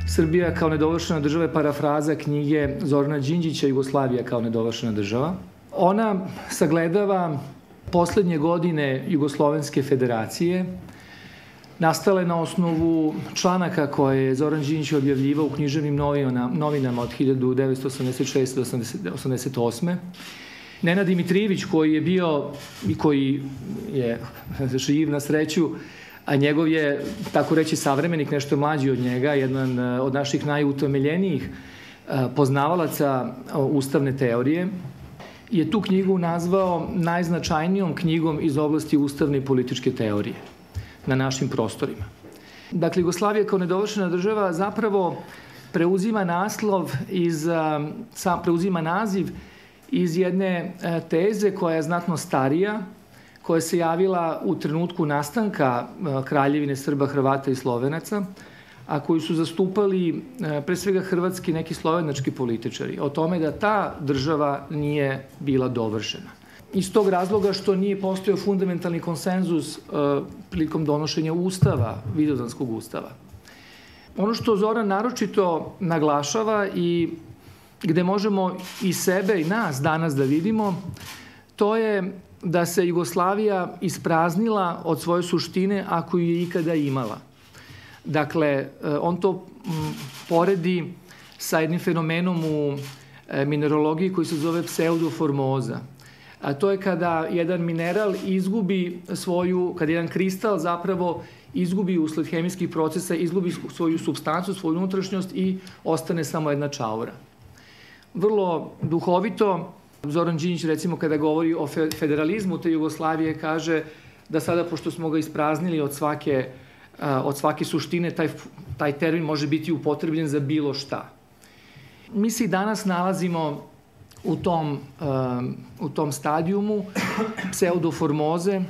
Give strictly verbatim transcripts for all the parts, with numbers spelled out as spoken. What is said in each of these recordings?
Srbija kao nedovršena država je parafraza knjige Zorana Đinđića Jugoslavija kao nedovršena država. Ona sagledava poslednje godine Jugoslovenske federacije, nastale na osnovu članaka koje je Zoran Đinđić objavljivao u književnim novinama od hiljadu devetsto osamdeset šeste do osamdeset osme. Nenad Dimitrijević, koji je bio i koji je živ na sreću, a njegov je, tako reći, savremenik, nešto mlađi od njega, jedan od naših najutemeljenijih poznavalaca ustavne teorije, je tu knjigu nazvao najznačajnijom knjigom iz oblasti ustavne i političke teorije na našim prostorima. Dakle, Jugoslavija kao nedovršena država zapravo preuzima naslov iz, preuzima naziv iz jedne teze koja je znatno starija, koja se javila u trenutku nastanka Kraljevine Srba, Hrvata i Slovenaca, a koju su zastupali pre svega hrvatski neki slovenački političari, o tome da ta država nije bila dovršena. Iz tog razloga što nije postojao fundamentalni konsenzus prilikom donošenja ustava, Vidovdanskog ustava. Ono što Zoran naročito naglašava i gde možemo i sebe i nas danas da vidimo, to je da se Jugoslavija ispraznila od svoje suštine ako ju je ikada imala. Dakle, on to poredi sa jednim fenomenom u minerologiji koji se zove pseudoformoza. A to je kada jedan mineral izgubi svoju, kada jedan kristal zapravo izgubi usled hemijskih procesa, izgubi svoju supstancu, svoju unutrašnjost i ostane samo jedna čaura. Vrlo duhovito, Zoran Đinđić, recimo, kada govori o federalizmu te Jugoslavije, kaže da sada, pošto smo ga ispraznili od svake, od svake suštine, taj, taj termin može biti upotrebljen za bilo šta. Mi se i danas nalazimo u tom, u tom stadijumu pseudoformoze.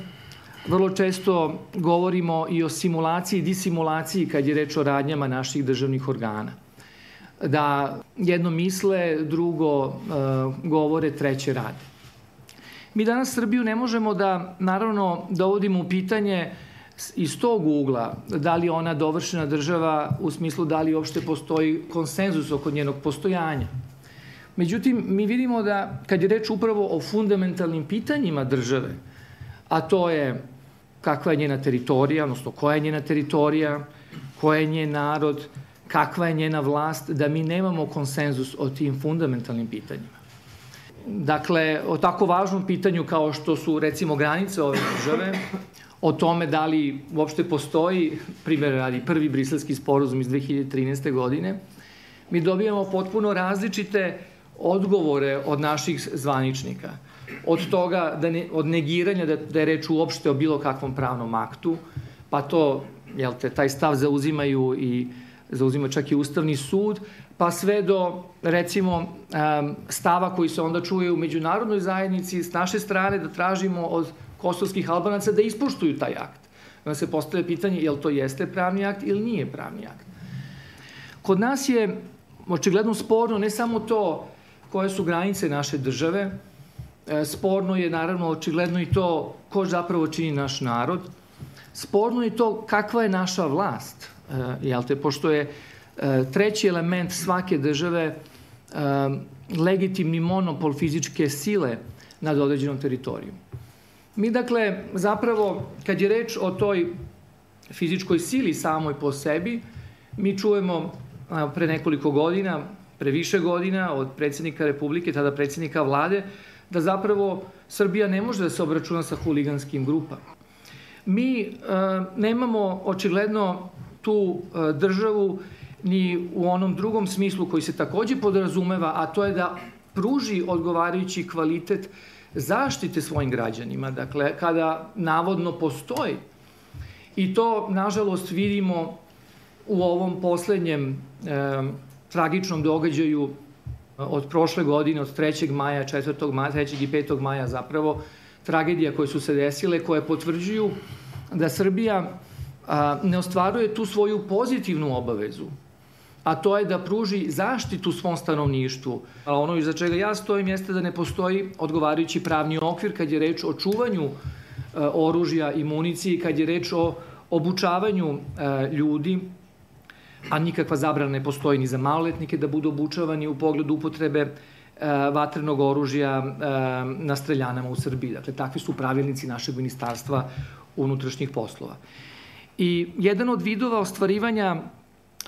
Vrlo često govorimo i o simulaciji i disimulaciji kad je reč o radnjama naših državnih organa. Da jedno misle, drugo uh, govore, treće rade. Mi danas Srbiju ne možemo da, naravno, dovodimo u pitanje iz tog ugla da li je ona dovršena država u smislu da li uopšte postoji konsenzus oko njenog postojanja. Međutim, mi vidimo da kad je reč upravo o fundamentalnim pitanjima države, a to je kakva je njena teritorija, odnosno koja je njena teritorija, koja je njen narod, kakva je njena vlast, da mi nemamo konsenzus o tim fundamentalnim pitanjima. Dakle, o tako važnom pitanju kao što su, recimo, granice ove države, o tome da li uopšte postoji, primjer radi, prvi briselski sporazum iz dve hiljade trinaeste. godine, mi dobijamo potpuno različite odgovore od naših zvaničnika. Od toga, da ne, od negiranja da, da je reč uopšte o bilo kakvom pravnom aktu, pa to, jel te, taj stav zauzimaju i zauzima čak i Ustavni sud, pa sve do, recimo, stava koji se onda čuje u međunarodnoj zajednici s naše strane da tražimo od kosovskih Albanaca da ispoštuju taj akt. Onda se postavlja pitanje je li to jeste pravni akt ili nije pravni akt. Kod nas je očigledno sporno ne samo to koje su granice naše države, sporno je naravno očigledno i to ko zapravo čini naš narod, sporno je to kakva je naša vlast. Jel te, pošto je treći element svake države legitimni monopol fizičke sile nad određenom teritorijom. Mi, dakle, zapravo, kad je reč o toj fizičkoj sili samoj po sebi, mi čujemo pre nekoliko godina, pre više godina od predsjednika Republike, tada predsjednika vlade, da zapravo Srbija ne može da se obračuna sa huliganskim grupama. Mi nemamo očigledno tu državu ni u onom drugom smislu koji se takođe podrazumeva, a to je da pruži odgovarajući kvalitet zaštite svojim građanima. Dakle, kada navodno postoji, i to, nažalost, vidimo u ovom poslednjem e, tragičnom događaju od prošle godine, od trećeg maja, četvrtog maja, trećeg i petog maja zapravo, tragedija koje su se desile, koje potvrđuju da Srbija a, ne ostvaruje tu svoju pozitivnu obavezu, a to je da pruži zaštitu svom stanovništvu. A ono iza čega ja stojim jeste da ne postoji odgovarajući pravni okvir kad je reč o čuvanju e, oružja i municije, kad je reč o obučavanju e, ljudi, a nikakva zabrana ne postoji ni za maloletnike da budu obučavani u pogledu upotrebe e, vatrenog oružja e, na streljanama u Srbiji. Dakle, takvi su pravilnici našeg ministarstva unutrašnjih poslova. I jedan od vidova ostvarivanja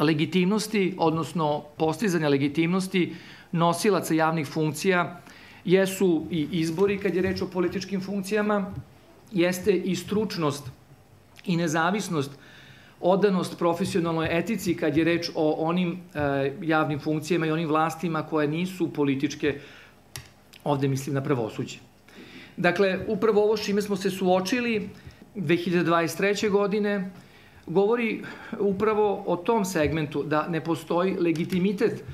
legitimnosti, odnosno postizanja legitimnosti nosilaca javnih funkcija jesu i izbori kad je reč o političkim funkcijama, jeste i stručnost i nezavisnost, odanost profesionalnoj etici kad je reč o onim e, javnim funkcijama i onim vlastima koje nisu političke, ovde mislim na pravosuđe. Dakle, upravo ovo s čime smo se suočili dve hiljade dvadeset treće. godine govori upravo o tom segmentu da ne postoji legitimitet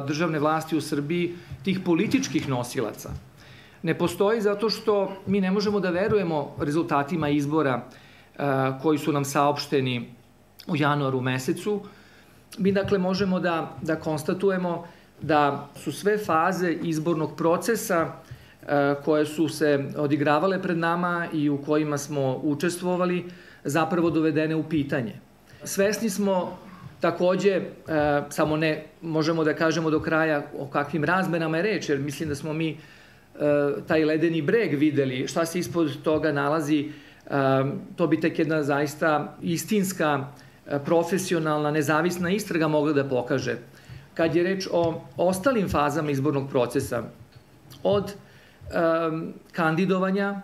državne vlasti u Srbiji, tih političkih nosilaca. Ne postoji zato što mi ne možemo da verujemo rezultatima izbora koji su nam saopšteni u januaru mesecu. Mi dakle možemo da, da konstatujemo da su sve faze izbornog procesa koje su se odigravale pred nama i u kojima smo učestvovali zapravo dovedene u pitanje. Svesni smo takođe, e, samo ne možemo da kažemo do kraja o kakvim razmenama je reč, jer mislim da smo mi e, taj ledeni breg videli, šta se ispod toga nalazi, e, to bi tek jedna zaista istinska, e, profesionalna, nezavisna istraga mogla da pokaže. Kad je reč o ostalim fazama izbornog procesa, od e, kandidovanja,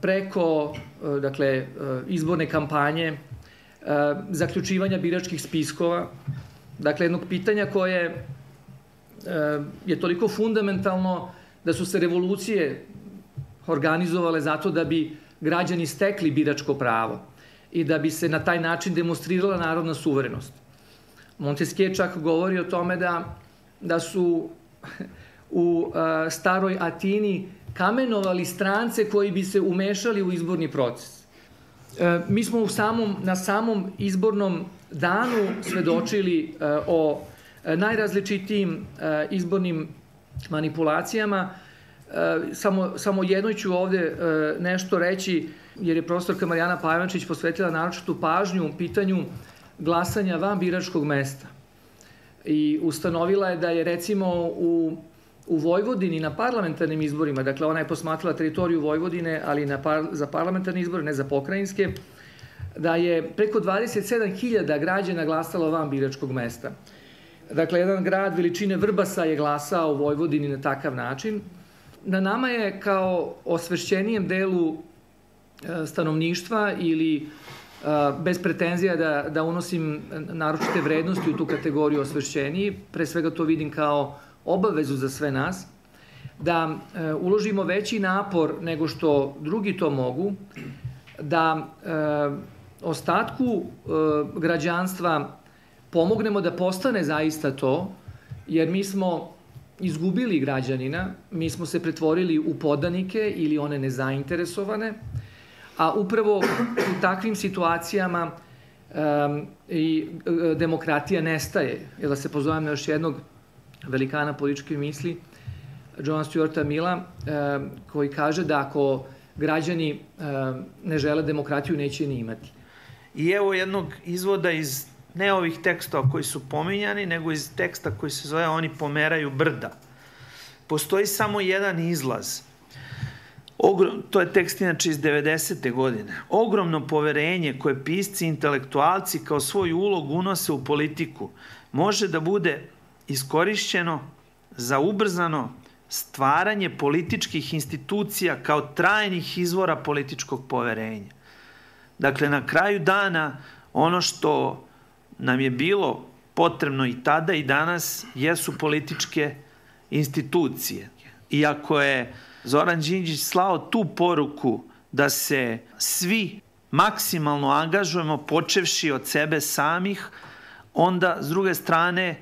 preko dakle, izborne kampanje, zaključivanja biračkih spiskova, dakle jednog pitanja koje je toliko fundamentalno da su se revolucije organizovale zato da bi građani stekli biračko pravo i da bi se na taj način demonstrirala narodna suverenost. Montesquieu čak govori o tome da, da su u staroj Atini kamenovali strance koji bi se umešali u izborni proces. E, mi smo u samom, na samom izbornom danu svedočili e, o najrazličitijim e, izbornim manipulacijama. E, samo, samo jednoj ću ovde e, nešto reći, jer je profesorka Marijana Pajvančić posvetila naročitu pažnju u pitanju glasanja van biračkog mesta. I ustanovila je da je recimo u U Vojvodini na parlamentarnim izborima, dakle ona je posmatrala teritoriju Vojvodine, ali na par, za parlamentarne izbore, ne za pokrajinske, da je preko dvadeset sedam hiljada građana glasalo van biračkog mesta. Dakle, jedan grad veličine Vrbasa je glasao u Vojvodini na takav način. Na nama je kao osvešćenijem delu stanovništva ili bez pretenzija da, da unosim naročite vrednosti u tu kategoriju osvešćeniji, pre svega to vidim kao obavezu za sve nas, da e, uložimo veći napor nego što drugi to mogu, da e, ostatku e, građanstva pomognemo da postane zaista to, jer mi smo izgubili građanina, mi smo se pretvorili u podanike ili one nezainteresovane, a upravo u takvim situacijama e, i e, demokratija nestaje. Jer da se pozovem na još jednog velikana političke misli, Johna Stuarta Milla, eh, koji kaže da ako građani eh, ne žele demokratiju, neće ni imati. I evo jednog izvoda iz ne ovih tekstova koji su pominjani, nego iz teksta koji se zove Oni pomeraju brda. Postoji samo jedan izlaz. Ogrom, to je tekst inače iz devedesete. godine. Ogromno poverenje koje pisci i intelektualci kao svoju ulogu unose u politiku može da bude iskorišćeno za ubrzano stvaranje političkih institucija kao trajnih izvora političkog poverenja. Dakle, na kraju dana, ono što nam je bilo potrebno i tada i danas jesu političke institucije. Iako je Zoran Đinđić slao tu poruku da se svi maksimalno angažujemo počevši od sebe samih, onda, s druge strane,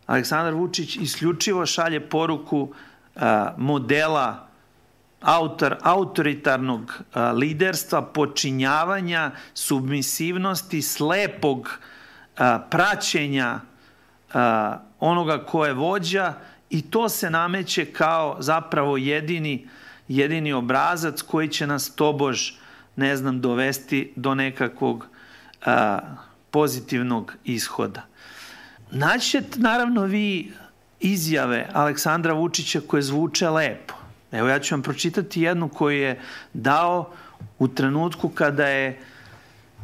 Aleksandar Vučić isključivo šalje poruku a, modela autor, autoritarnog a, liderstva, počinjavanja, submisivnosti, slepog a, praćenja a, onoga ko je vođa, i to se nameće kao zapravo jedini, jedini obrazac koji će nas tobož, ne znam, dovesti do nekakvog a, pozitivnog ishoda. Naćete naravno vi izjave Aleksandra Vučića koje zvuče lepo. Evo, ja ću vam pročitati jednu koju je dao u trenutku kada je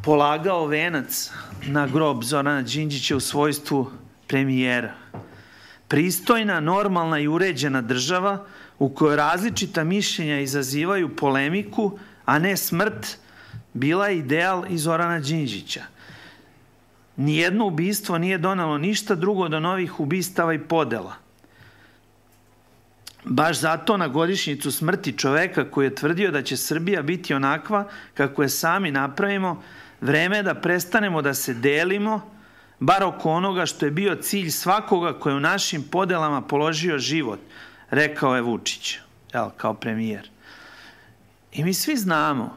polagao venac na grob Zorana Đinđića u svojstvu premijera. Pristojna, normalna i uređena država u kojoj različita mišljenja izazivaju polemiku, a ne smrt, bila je ideal i Zorana Đinđića. Nijedno ubistvo nije donelo ništa drugo do novih ubistava i podela. Baš zato na godišnjicu smrti čoveka koji je tvrdio da će Srbija biti onakva kako je sami napravimo, vreme je da prestanemo da se delimo, bar oko onoga što je bio cilj svakoga koji je u našim podelama položio život, rekao je Vučić, jel, kao premijer. I mi svi znamo,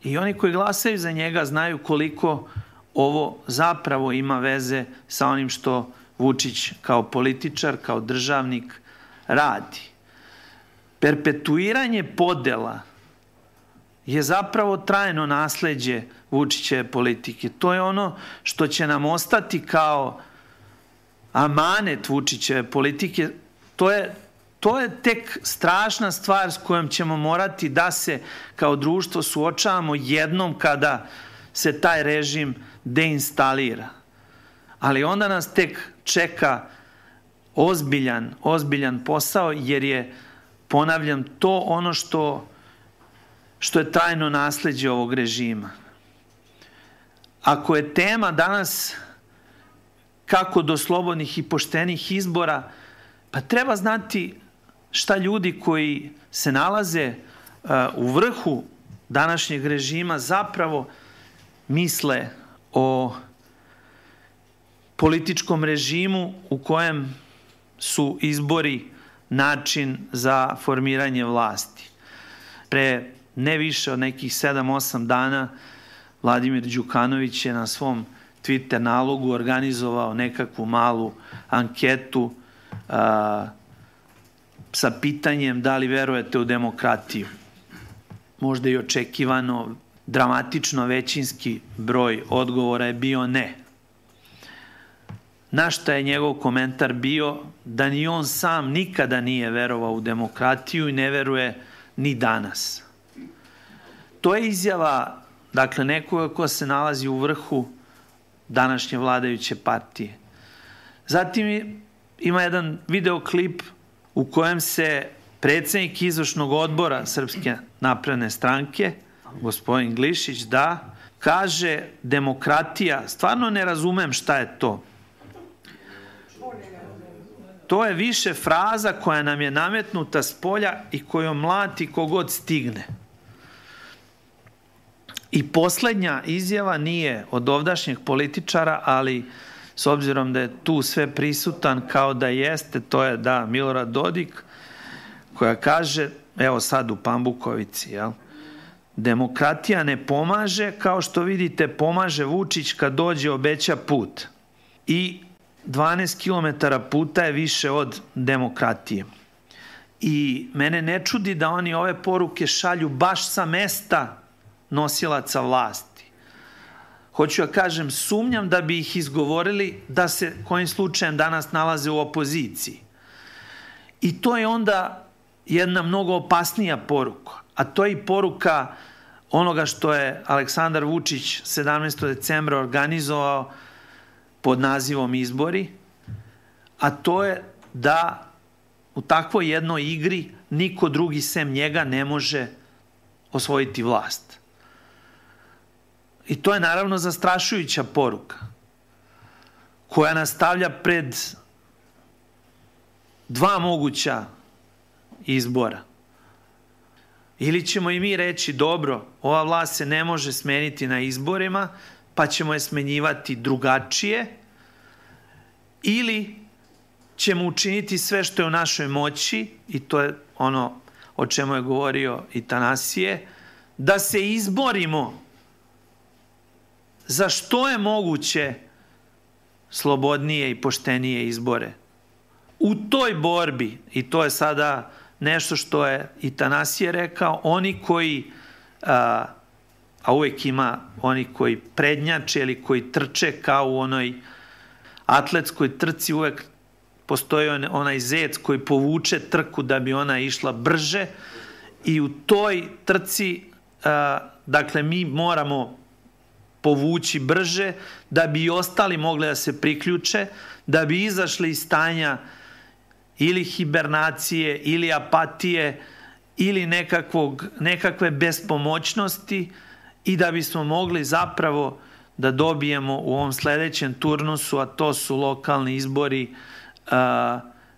i oni koji glasaju za njega znaju koliko ovo zapravo ima veze sa onim što Vučić kao političar, kao državnik radi. Perpetuiranje podela je zapravo trajno nasleđe Vučićeve politike. To je ono što će nam ostati kao amanet Vučićeve politike. To je, to je tek strašna stvar s kojom ćemo morati da se kao društvo suočavamo jednom kada se taj režim deinstalira. Ali onda nas tek čeka ozbiljan, ozbiljan posao, jer je, ponavljam, to ono što, što je trajno nasleđe ovog režima. Ako je tema danas kako do slobodnih i poštenih izbora, pa treba znati šta ljudi koji se nalaze uh, u vrhu današnjeg režima zapravo misle o političkom režimu u kojem su izbori način za formiranje vlasti. Pre ne više od nekih sedam osam dana Vladimir Đukanović je na svom Twitter nalogu organizovao nekakvu malu anketu a, sa pitanjem da li verujete u demokratiju. Možda i očekivano, dramatično većinski broj odgovora je bio ne. Na šta je njegov komentar bio da ni on sam nikada nije verovao u demokratiju i ne veruje ni danas. To je izjava, dakle, nekoga ko se nalazi u vrhu današnje vladajuće partije. Zatim ima jedan videoklip u kojem se predsednik izvršnog odbora Srpske napredne stranke, gospodin Glišić, da, kaže demokratija, stvarno ne razumem šta je to. To je više fraza koja nam je nametnuta s polja i kojom mlati kogod stigne. I poslednja izjava nije od ovdašnjeg političara, ali s obzirom da je tu sve prisutan kao da jeste, to je da Milorad Dodik, koja kaže, evo sad u Pambukovici, jel? Demokratija ne pomaže, kao što vidite pomaže Vučić kad dođe obeća put. I dvanaest kilometara puta je više od demokratije. I mene ne čudi da oni ove poruke šalju baš sa mesta nosilaca vlasti. Hoću ja kažem, sumnjam da bi ih izgovorili da se kojim slučajem danas nalaze u opoziciji. I to je onda jedna mnogo opasnija poruka, a to je i poruka onoga što je Aleksandar Vučić sedamnaestog decembra organizovao pod nazivom izbori, a to je da u takvoj jednoj igri niko drugi sem njega ne može osvojiti vlast. I to je naravno zastrašujuća poruka koja nas stavlja pred dva moguća izbora. Ili ćemo i mi reći, dobro, ova vlast se ne može smeniti na izborima, pa ćemo je smenjivati drugačije, ili ćemo učiniti sve što je u našoj moći, i to je ono o čemu je govorio i Tanasije, da se izborimo za što je moguće slobodnije i poštenije izbore. U toj borbi, i to je sada nešto što je i Tanasije rekao, oni koji, a, a uvek ima oni koji prednjače ili koji trče kao u onoj atletskoj trci, uvek postoji onaj zec koji povuče trku da bi ona išla brže, i u toj trci, a, dakle, mi moramo povući brže da bi i ostali mogli da se priključe, da bi izašli iz stanja ili hibernacije, ili apatije, ili nekakvog, nekakve bespomoćnosti, i da bismo mogli zapravo da dobijemo u ovom sledećem turnusu, a to su lokalni izbori,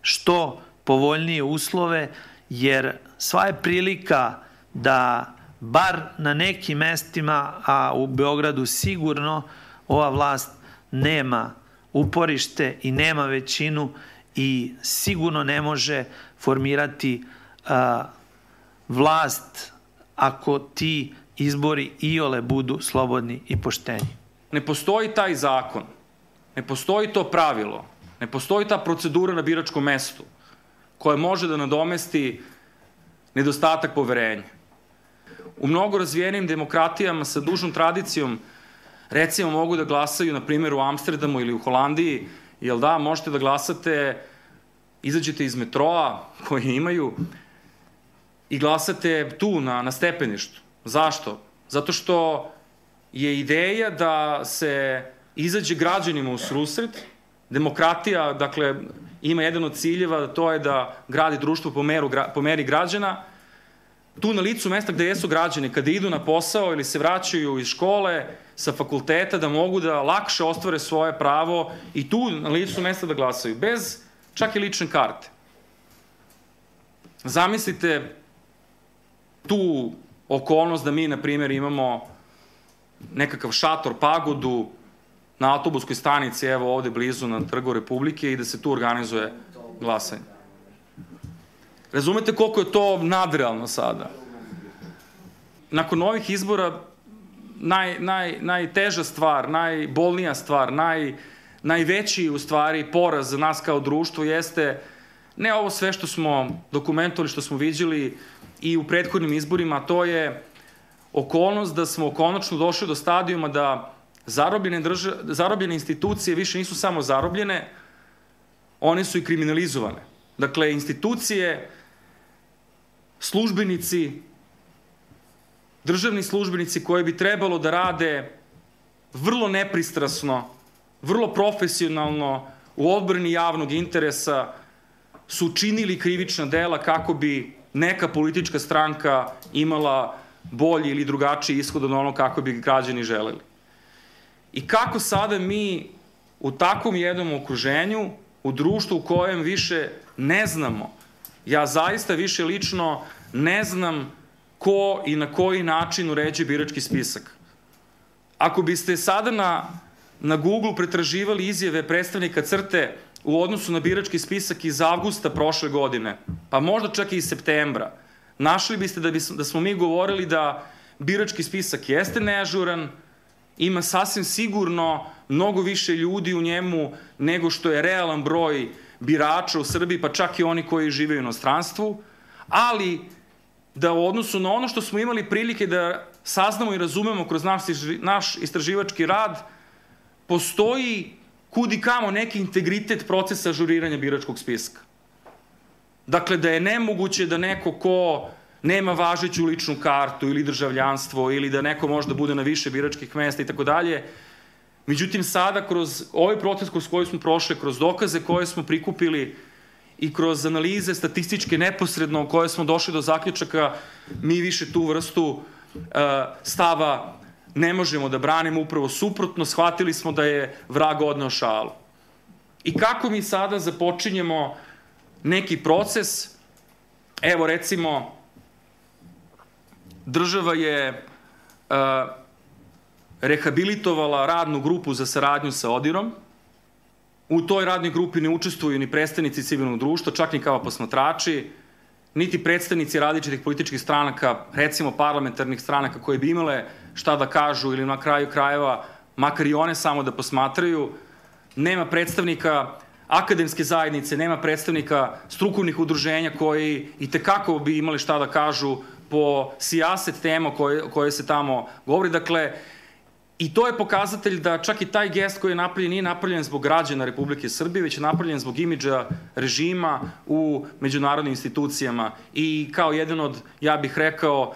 što povoljnije uslove, jer sva je prilika da bar na nekim mestima, a u Beogradu sigurno, ova vlast nema uporište i nema većinu i sigurno ne može formirati a, vlast ako ti izbori iole budu slobodni i pošteni. Ne postoji taj zakon, ne postoji to pravilo, ne postoji ta procedura na biračkom mestu koja može da nadomesti nedostatak poverenja. U mnogo razvijenim demokratijama sa dužnom tradicijom, recimo, mogu da glasaju, na primjer, u Amsterdamu ili u Holandiji, jel da, možete da glasate, izađete iz metroa koje imaju i glasate tu na, na stepeništu. Zašto? Zato što je ideja da se izađe građanima u susret. Demokratija, dakle, ima jedan od ciljeva, to je da gradi društvo po, meru, po meri građana. Tu na licu mesta gde jesu građani, kada idu na posao ili se vraćaju iz škole, sa fakulteta, da mogu da lakše ostvare svoje pravo i tu na licu mesta da glasaju, bez čak i lične karte. Zamislite tu okolnost da mi, na primjer, imamo nekakav šator, pagodu na autobuskoj stanici, evo ovde blizu na Trgu Republike, i da se tu organizuje glasanje. Razumete koliko je to nadrealno sada? Nakon ovih izbora naj, naj, najteža stvar, najbolnija stvar, naj, najveći u stvari poraz za nas kao društvo jeste ne ovo sve što smo dokumentovali, što smo viđali i u prethodnim izborima, to je okolnost da smo konačno došli do stadijuma da zarobljene, drža, zarobljene institucije više nisu samo zarobljene, one su i kriminalizovane. Dakle, institucije, službenici, državni službenici koji bi trebalo da rade vrlo nepristrasno, vrlo profesionalno u odbrani javnog interesa, su činili krivična dela kako bi neka politička stranka imala bolji ili drugačiji ishod od ono kako bi građani želeli. I kako sada mi u takvom jednom okruženju, u društvu u kojem više ne znamo, ja zaista više lično ne znam ko i na koji način uređuje birački spisak. Ako biste sada na, na Google pretraživali izjave predstavnika CRTE u odnosu na birački spisak iz avgusta prošle godine, pa možda čak i iz septembra, našli biste da, bi, da smo mi govorili da birački spisak jeste neažuran, ima sasvim sigurno mnogo više ljudi u njemu nego što je realan broj birača u Srbiji, pa čak i oni koji žive u inostranstvu, ali da u odnosu na ono što smo imali prilike da saznamo i razumemo kroz naš, naš istraživački rad, postoji kud i kamo neki integritet procesa ažuriranja biračkog spiska. Dakle, da je nemoguće da neko ko nema važeću ličnu kartu ili državljanstvo ili da neko može da bude na više biračkih mesta i tako dalje. Međutim, sada kroz ovaj proces kroz koji smo prošli, kroz dokaze koje smo prikupili i kroz analize statističke neposredno u koje smo došli do zaključaka, mi više tu vrstu uh, stava ne možemo da branimo, upravo suprotno, shvatili smo da je vrag odneo šalu. I kako mi sada započinjemo neki proces, evo recimo, država je uh, rehabilitovala radnu grupu za saradnju sa ODIR-om U toj radnoj grupi ne učestvuju ni predstavnici civilnog društva, čak ni kao posmatrači, niti predstavnici različitih političkih stranaka, recimo parlamentarnih stranaka koje bi imale šta da kažu ili na kraju krajeva, makar i one samo da posmatraju. Nema predstavnika akademske zajednice, nema predstavnika strukovnih udruženja koji i tekako bi imali šta da kažu po sijaset tema koje, koje se tamo govori. Dakle, i to je pokazatelj da čak i taj gest koji je napravljen nije napravljen zbog građana Republike Srbije, već je napravljen zbog imidža režima u međunarodnim institucijama i kao jedan od, ja bih rekao,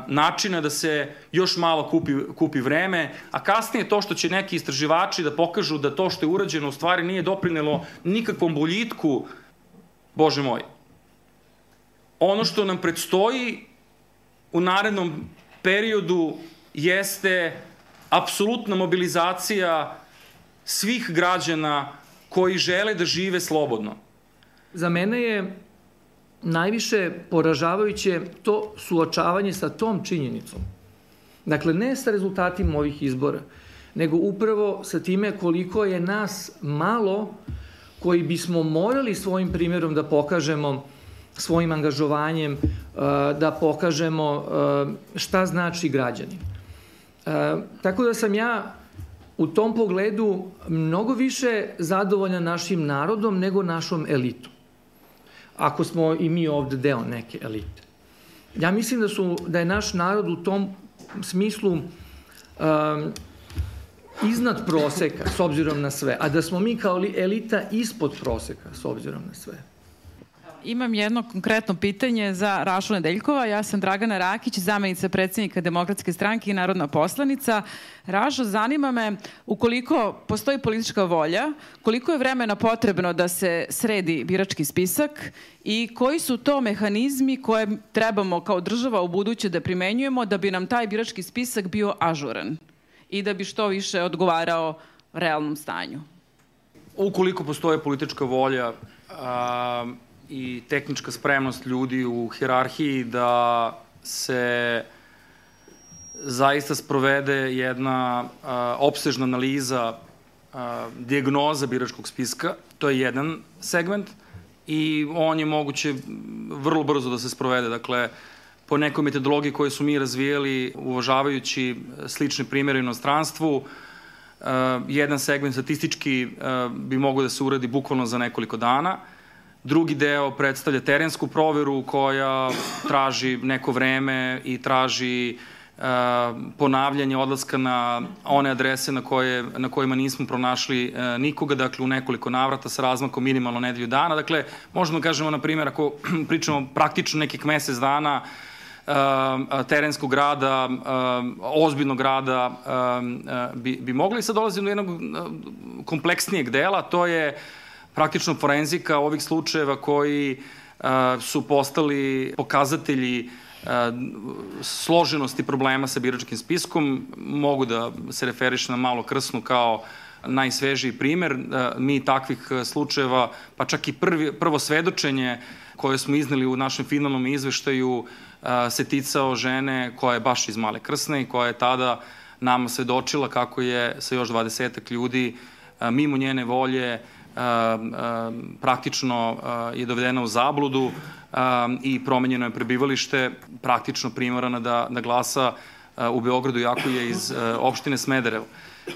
načina da se još malo kupi, kupi vreme, a kasnije to što će neki istraživači da pokažu da to što je urađeno u stvari nije doprinelo nikakvom boljitku, Bože moj. Ono što nam predstoji u narednom periodu jeste apsolutna mobilizacija svih građana koji žele da žive slobodno. Za mene je najviše poražavajuće to suočavanje sa tom činjenicom. Dakle, ne sa rezultatima ovih izbora, nego upravo sa time koliko je nas malo koji bismo morali svojim primjerom da pokažemo, svojim angažovanjem, da pokažemo šta znači građanin. Tako da sam ja u tom pogledu mnogo više zadovoljan našim narodom nego našom elitom. Ako smo i mi ovde deo neke elite. Ja mislim da, su, da je naš narod u tom smislu um, iznad proseka s obzirom na sve, a da smo mi kao elita ispod proseka s obzirom na sve. Imam jedno konkretno pitanje za Rašu Nedeljkova. Ja sam Dragana Rakić, zamenica predsjednika Demokratske stranke i narodna poslanica. Rašo, zanima me, ukoliko postoji politička volja, koliko je vremena potrebno da se sredi birački spisak i koji su to mehanizmi koje trebamo kao država u buduće da primenjujemo da bi nam taj birački spisak bio ažuran i da bi što više odgovarao realnom stanju? Ukoliko postoje politička volja a, i tehnička spremnost ljudi u hijerarhiji da se zaista sprovede jedna a, opsežna analiza, a, dijagnoza biračkog spiska, to je jedan segment i on je moguće vrlo brzo da se sprovede. Dakle, po nekoj metodologiji koju su mi razvijeli, uvažavajući slične primjere u inostranstvu, uh, jedan segment statistički uh, bi mogao da se uradi bukvalno za nekoliko dana. Drugi deo predstavlja terensku proveru koja traži neko vreme i traži uh, ponavljanje odlaska na one adrese na, koje, na kojima nismo pronašli uh, nikoga, dakle u nekoliko navrata sa razmakom minimalno nedelju dana. Dakle, možemo da kažemo, na primjer, ako pričamo praktično nekih mesec dana, terenskog rada, ozbiljnog rada bi, bi mogli. Sad dolazimo do jednog kompleksnijeg dela, to je praktično forenzika ovih slučajeva koji su postali pokazatelji složenosti problema sa biračkim spiskom. Mogu da se referiš na Malo Krsnu kao najsvežiji primer. Mi takvih slučajeva, pa čak i prvi, prvo svedočenje koje smo izneli u našem finalnom izveštaju se ticao žene koja je baš iz Male Krsne i koja je tada nama svedočila kako je sa još dvadesetak ljudi mimo njene volje praktično je dovedena u zabludu i promenjeno je prebivalište, praktično primorana da, da glasa u Beogradu, iako je iz opštine Smederevo.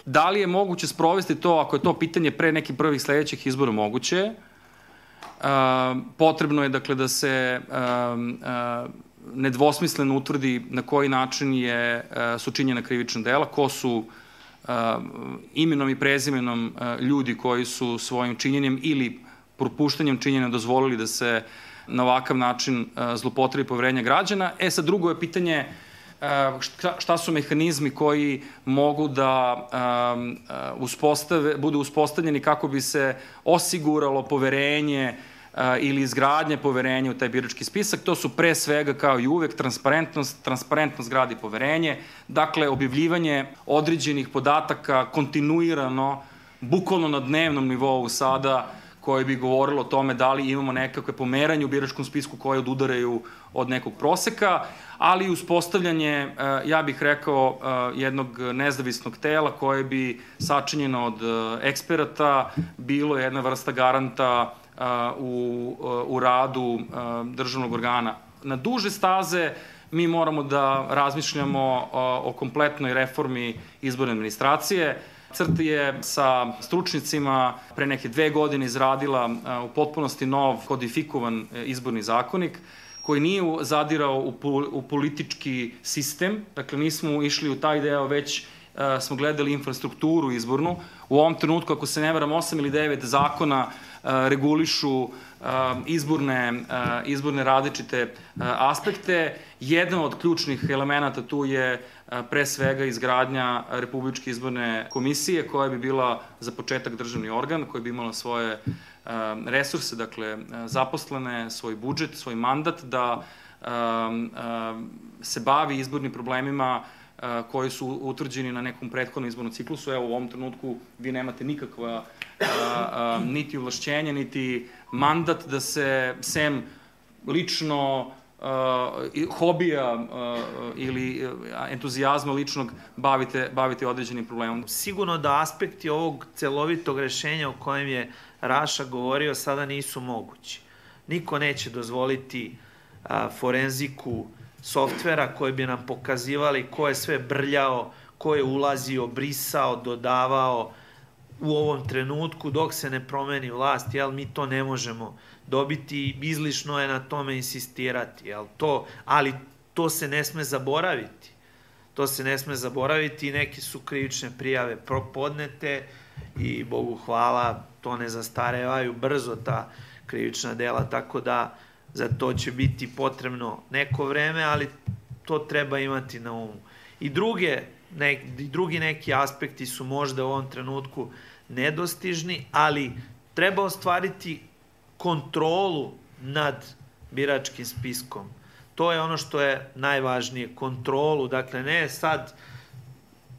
Da li je moguće sprovesti to, ako je to pitanje pre nekih prvih sledećih izbora, moguće je. Potrebno je, dakle, da se nedvosmisleno utvrdi na koji način je, su činjena krivična dela, ko su imenom i prezimenom ljudi koji su svojim činjenjem ili propuštanjem činjenja dozvolili da se na ovakav način zlopotrebi poverenja građana. E sad, drugo je pitanje šta su mehanizmi koji mogu da uspostave, budu uspostavljeni kako bi se osiguralo poverenje ili izgradnje poverenja u taj birački spisak. To su pre svega, kao i uvek, transparentnost. Transparentnost gradi poverenje. Dakle, objavljivanje određenih podataka kontinuirano, bukvalno na dnevnom nivou sada, koje bi govorilo o tome da li imamo nekakve pomeranje u biračkom spisku koje odudaraju od nekog proseka, ali uspostavljanje, ja bih rekao, jednog nezavisnog tela koje bi sačinjeno od eksperata bilo jedna vrsta garanta u, u radu državnog organa. Na duže staze mi moramo da razmišljamo o kompletnoj reformi izborne administracije. C R T je sa stručnicima pre neke dve godine izradila u potpunosti nov kodifikovan izborni zakonik koji nije zadirao u politički sistem, dakle nismo išli u taj deo, već smo gledali infrastrukturu izbornu. U ovom trenutku, ako se ne varam, osam ili devet zakona regulišu izborne, izborne različite aspekte. Jedan od ključnih elemenata tu je pre svega izgradnja Republičke izborne komisije koja bi bila za početak državni organ, koja bi imala svoje resurse, dakle zaposlene, svoj budžet, svoj mandat da se bavi izbornim problemima koji su utvrđeni na nekom prethodnom izbornom ciklusu. Evo, u ovom trenutku vi nemate nikakva niti ovlašćenja, niti mandat da se sem lično hobija ili entuzijazma ličnog bavite, bavite određenim problemom. Sigurno da aspekti ovog celovitog rešenja o kojem je Raša govorio sada nisu mogući. Niko neće dozvoliti forenziku softvera koji bi nam pokazivali ko je sve brljao, ko je ulazio, brisao, dodavao u ovom trenutku dok se ne promeni vlast, jel, mi to ne možemo dobiti, izlišno je na tome insistirati, jel, to, ali to se ne sme zaboraviti. To se ne sme zaboraviti, neke su krivične prijave podnete i Bogu hvala, to ne zastarevaju brzo ta krivična dela, tako da za to će biti potrebno neko vreme, ali to treba imati na umu. I druge, ne, drugi neki aspekti su možda u ovom trenutku nedostižni, ali treba ostvariti kontrolu nad biračkim spiskom. To je ono što je najvažnije, kontrolu, dakle ne sad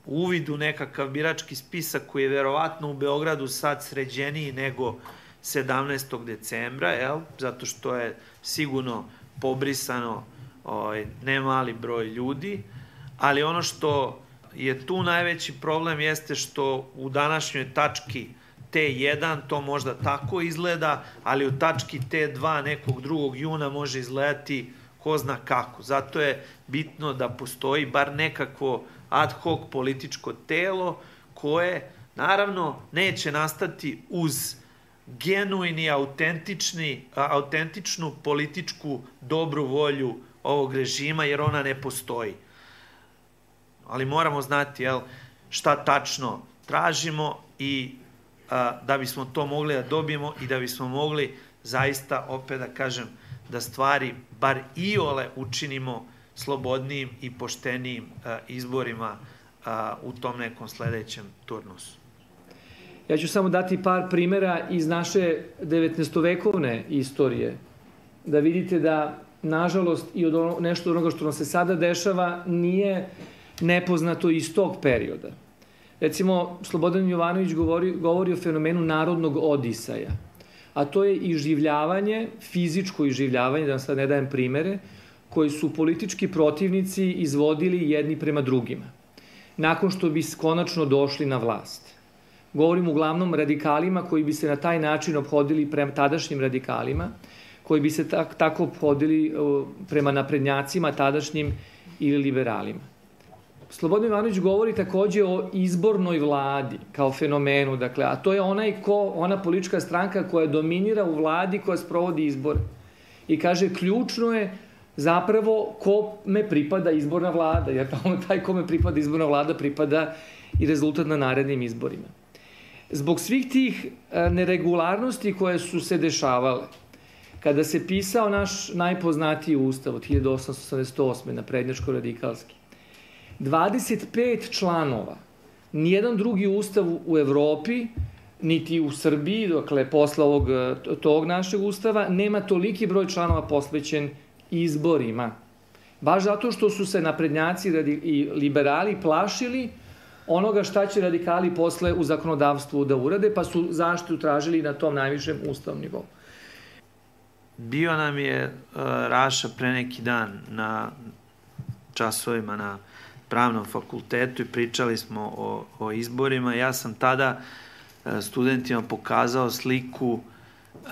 uvid u nekakav birački spisak koji je verovatno u Beogradu sad sređeniji nego sedamnaestog decembra, jel? Zato što je sigurno pobrisano ovaj, ne mali broj ljudi, ali ono što je tu najveći problem jeste što u današnjoj tački T jedan to možda tako izgleda, ali u tački T dva nekog drugog juna može izgledati ko zna kako. Zato je bitno da postoji bar nekakvo ad hoc političko telo koje naravno neće nastati uz genuini, autentični, autentičnu političku dobru volju ovog režima, jer ona ne postoji. Ali moramo znati, jel, šta tačno tražimo i a, da bismo to mogli da dobijemo i da bismo mogli zaista, opet da kažem, da stvari bar iole učinimo slobodnijim i poštenijim a, izborima a, u tom nekom sledećem turnusu. Ja ću samo dati par primera iz naše devetnaestovekovne istorije, da vidite da, nažalost, i od ono, nešto onoga što nam se sada dešava nije nepoznato iz tog perioda. Recimo, Slobodan Jovanović govori, govori o fenomenu narodnog odisaja, a to je iživljavanje, fizičko iživljavanje, da vam sad ne dajem primere, koji su politički protivnici izvodili jedni prema drugima, nakon što bi konačno došli na vlast. Govorim uglavnom radikalima koji bi se na taj način obhodili prema tadašnjim radikalima, koji bi se tak, tako obhodili prema naprednjacima tadašnjim ili liberalima. Slobodan Jovanović govori takođe o izbornoj vladi kao fenomenu, dakle, a to je onaj ko, ona politička stranka koja dominira u vladi koja sprovodi izbore. I kaže, ključno je zapravo kome pripada izborna vlada, jer taj kome pripada izborna vlada pripada i rezultat na narednim izborima. Zbog svih tih neregularnosti koje su se dešavale, kada se pisao naš najpoznatiji ustav od hiljadu osamsto osamdeset osme naprednjačko-radikalski, dvadeset pet članova, nijedan drugi ustav u Evropi, niti u Srbiji, dakle, posle ovog, tog našeg ustava, nema toliki broj članova posvećen izborima. Baš zato što su se naprednjaci i liberali plašili onoga šta će radikali posle u zakonodavstvu da urade, pa su zaštitu tražili na tom najvišem ustavnom nivou. Bio nam je uh, Raša pre neki dan na časovima na pravnom fakultetu i pričali smo o, o izborima. Ja sam tada uh, studentima pokazao sliku uh,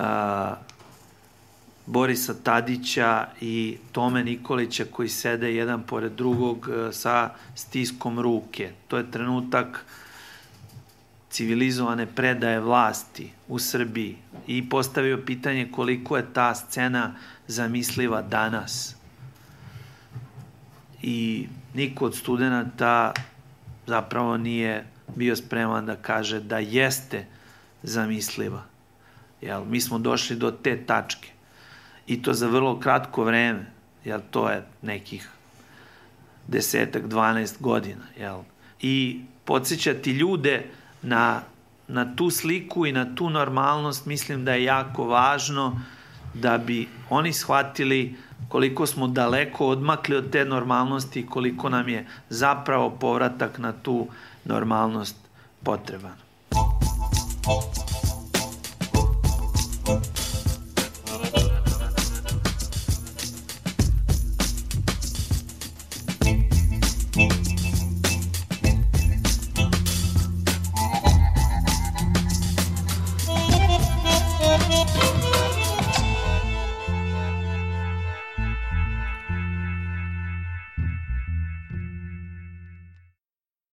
Borisa Tadića i Tome Nikolića koji sede jedan pored drugog uh, sa stiskom ruke. To je trenutak civilizovane predaje vlasti u Srbiji i postavio pitanje koliko je ta scena zamisliva danas. I niko od studenta zapravo nije bio spreman da kaže da jeste zamisliva. Jel, mi smo došli do te tačke i to za vrlo kratko vreme, jel, to je nekih desetak, dvanaest godina. Jel. I podsjećati ljude Na, na tu sliku i na tu normalnost mislim da je jako važno da bi oni shvatili koliko smo daleko odmakli od te normalnosti i koliko nam je zapravo povratak na tu normalnost potreban.